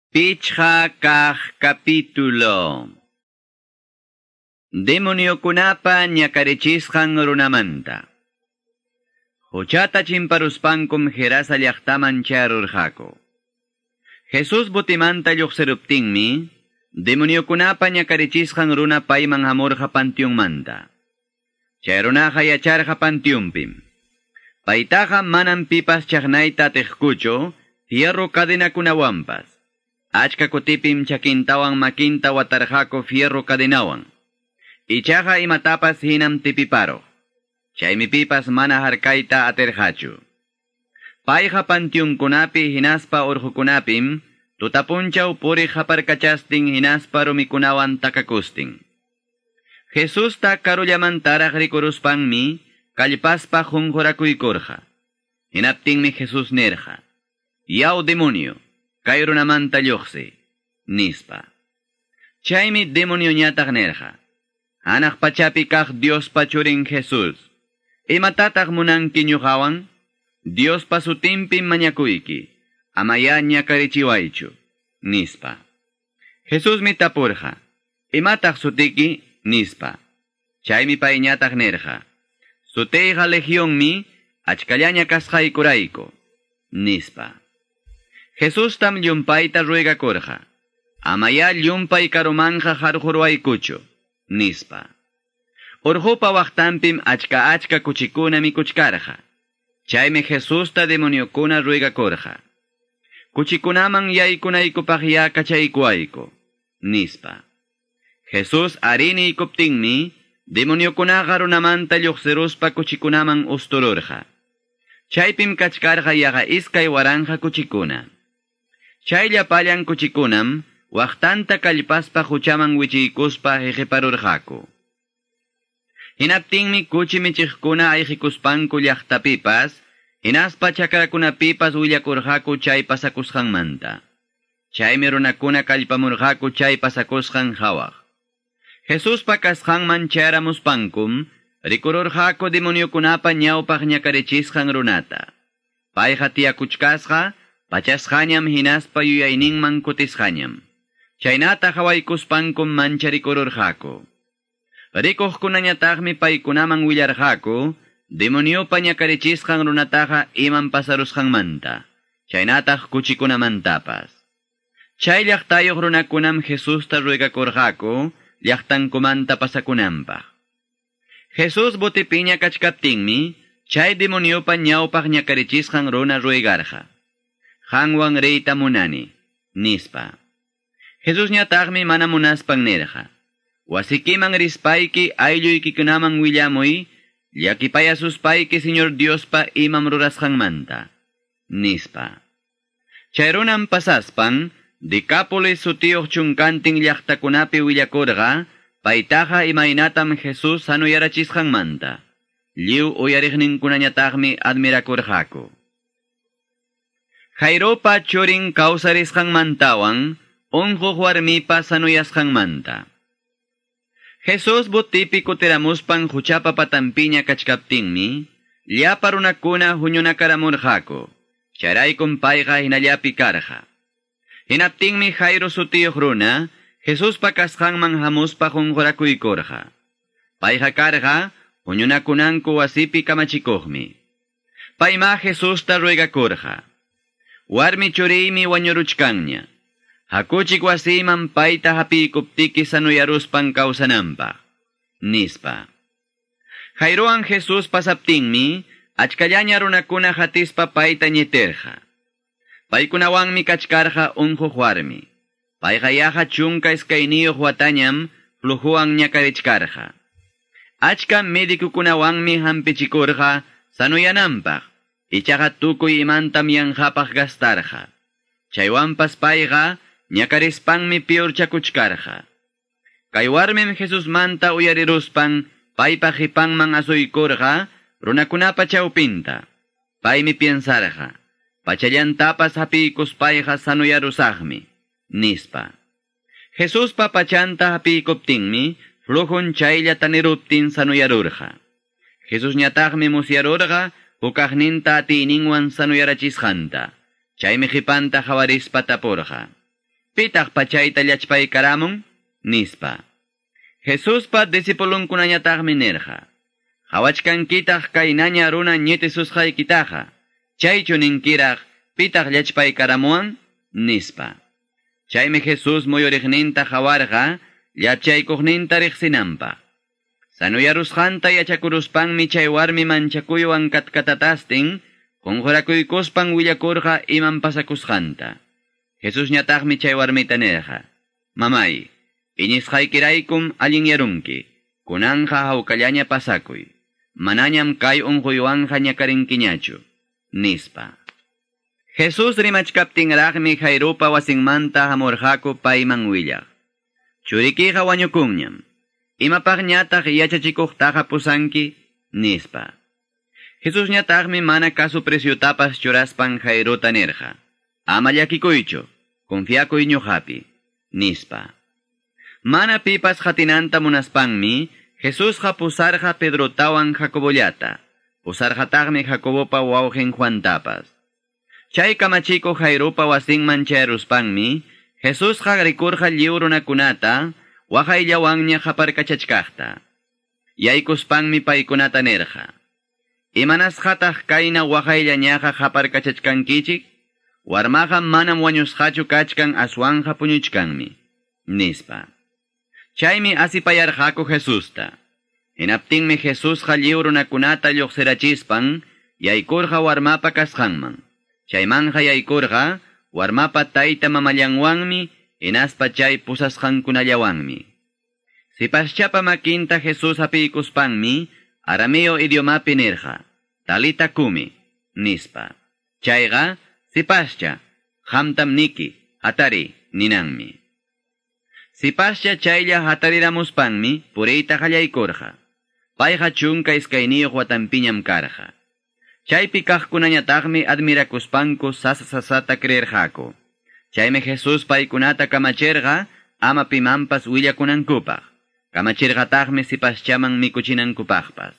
Pichqa kaq capítulo. Demoniokunapa ñakarichisqan runamanta. Huchata chimparuspankum Gerasa llaqtaman charurqaku. Jesús botimanta lluqsiruptinmi, demoniokunapa ñakarichisqan runa payman hamurqa panteonmanta. Chay runaqa yacharqa panteonpim. Paytaqa manam pipas chaqnayta atiqkuchu, fierro cadenakunawanpas. Achka kutipim chakintawan makinta watarqaku fierro cadenawan. Ichaqa imatapas hinam tipiparuq. Chaymi pipas mana harkayta atirqachu. Payqa panteonkunapi hinaspa urqukunapim tutapunchaw puriq haparkachastin hinaspa rumikunawan takakustin. Jesusta karullamantaraq rikuruspanmi kallpaspa qunqurakuykurqa. Hinaptinmi Jesús nirqa: "Yaw demonio, kay runamanta lluqsi", nispa. Chaymi demonioñataq nirqa: "Hanaq pachapi kaq Diospa churin Jesús, imatataq munanki ñuqawan? Diospa sutinpim mañakuyki, amayá ñakarichiwaychu", nispa. Jesusmi tapurqa: "Imataq sutiki?" nispa. Chaymi payñataq nirqa: "Sutiyqa legionmi, achkallaña kasqaykurayku", nispa. Jesustam llumpayta ruegakurqa: "Amayá llumpay karumanqa harquruwaykuchu", nispa. Urqupa waqtanpim achka achka kuchikuna mikuchkarqa. Chaymi Jesusta demoniokuna ruegakurqa: "Kuchikunaman yaykunaykupaqyá kachaykuwayku", nispa. Jesús ariniykuptinmi, demoniokunaqa runamanta lluqsiruspa kuchikunaman ustururqa. Chaypim kachkarqa yaqa 2000 kuchikuna. Chay llapallan kuchikunam waqtanta kallpaspa huchaman wichiykuspa hiqiparurqaku. Hinaptinmi kuchi michiqkuna ayqikuspanku llaqtapipas, hinaspa chakrakunapipas willakurqaku chay pasakusqanmanta. Chaymi runakuna kallpamurqaku chay pasakusqan hawaq. Jesuspa kasqanman chayaramuspankum, rikururqaku demoniokunapa ñawpaq ñakarichisqan runata. Payqa tiyakuchkasqa, pachasqañam hinaspa yuyayninman kutisqañam. Chaynata hawaykuspankum mancharikururqaku. Rikuqkunañataqmi paykunaman willarqaku, demoniopa ñakarichisqan runataqa iman pasarusqanmanta, chaynataq kuchikunamantapas. Chay llaqtayuq runakunam Jesusta ruegakurqaku, llaqtankumanta pasakunanpaq. Jesús botipiña kachkaptinmi, chay demoniopa ñawpaq ñakarichisqan runa ruegarqa: "Qanwan riyta munani", nispa. Jesusñataqmi mana munaspan nirqa: "Wasikiman rispayki aylluykikunaman willamuy, llakipayasuspayki Señor Diospa imam rurasqanmanta", nispa. Chay runam pasaspan, Decápolis sutiyuq chunkantin llaqtakunapi willakurqa, paytaqa imaynatam Jesús sanuyarachisqanmanta. Lliw uyariqninkunañataqmi admirakurqaku. Jairopa churin kawsarisqanmantawan, unquq warmipa sanuyasqanmanta. Jesús botipi kutiramuspan huchapa patanpiña kachkaptinmi, llapa runakuna huñunakaramurqaku. Chayraykum payqa hinallapi karqa. Hinaptinmi Jairo sutiyuq runa, Jesuspa kasqanman hamuspa qunqurakuykurqa. Payqa karqa huñunakunanku wasipi kamachikuqmi. Payma Jesusta ruegakurqa: "Warmi churiymi wañuruchkanña. Hakuchik wasiyman payta hapiykuptiki sanuyaruspan kawsananpaq", nispa. Jairowan Jesús pasaptinmi, achkallaña runakuna hatispa payta ñitirqa. Paykunawanmi kachkarqa unquq warmi. Payqa yaqa 12 watañam flujuwan ñakarichkarqa. Achka medikukunawanmi hampichikurqa sanuyananpaq, ichaqa tukuy imantam yanqapaq gastarqa. Chaywanpas payqa ñakarispanmi piurchakuchkarqa. Kay warmim Jesusmanta uyariruspan paypa qipanman asuykurqa runakunapa chawpinta. Paymi piensarqa: "Pachallantapas hapiykuspayqa sanuyarusaqmi", nispa. Jesuspa pachanta hapiykuptinmi, flujun chaylla taniruptin sanuyarurqa. Jesusñataqmi musyarurqa hukaqninta atiyninwan sanuyarachisqanta. Chaymi qhipanta hawarispa tapurqa: Pitaq pachayta llachpaykaramun? Nispa. Jesuspa discipulunkunañataqmi nirqa: Qawachkankitaq kaynaña runa ñitisusqaykitaqa, chaychu ninkiraq pitaq llachpaykaramuwan? Nispa. Chaymi Jesús muyuriqninta qawarqa llachaykuqninta riqsinanpaq. Sanuyarusqanta yachakuruspanmi chay warmi manchakuywan katkatatastin qunqurakuykuspan willakurqa imam pasakusqanta. Jesusñataqmi chay warmita nirqa: Mamay, iñisqaykiraykum allinyarunki, kunanqa hawkallaña pasakuy, manañam kay unquywanqa ñakarinkiñachu, nispa. Jesús rimachkaptinraqmi Jairopa wasinmanta hamurqaku payman willaq: Churikiqa wañukunñam, imapaqñataq yachachikuqtaqa pusanki, nispa. Jesusñataqmi mana kasu presyutapas churaspan Jairota nirqa: Ama llakikuychu, confiakuy ñuqapi, nispa. Mana pipas qatinanta munaspanmi, Jesusqa pusarqa Pedrotawan Jacobollata, pusarqataqmi Jacobopa wawqin Juantapas. Chay kamachikuq Jairopa wasinman chayaruspanmi, Jesusqa rikurqa lliw runakunata, waqayllawanña qaparkachachkaqta. Yaykuspanmi paykunata nirqa: Imanasqataq kayna waqayllañaqa qaparkachachkankichik? Warmaqa manam wañusqachu kachkan, aswanqa puñuchkanmi, nispa. Chaymi asipayarqaku Jesusta. Hinaptinmi Jesusqa lliw runakunata lluqsirachispan yaykurqa warmapa kasqanman. Chaymanja yaykurqa warmapa tayta mamallanwanmi, hinaspa chay pusasqankunallawanmi. Sipaschapa makinta Jesús hapiykuspanmi arameo idiomapi nirqa: Talita kumi, nispa. Chayqa, sipascha, qamtam niki, hatari, ninanmi. Sipascha chaylla hatariramuspanmi puriyta qallaykurqa. Payqa 12 watanpiñam karqa. Chaypi kaqkunañataqmi admirakuspanku sasa sasata creerqaku. Chaymi Jesús paykunata kamachirqa ama pimanpas willakunankupaq. Kamachirqataqmi sipaschaman mikuchinankupaqpas.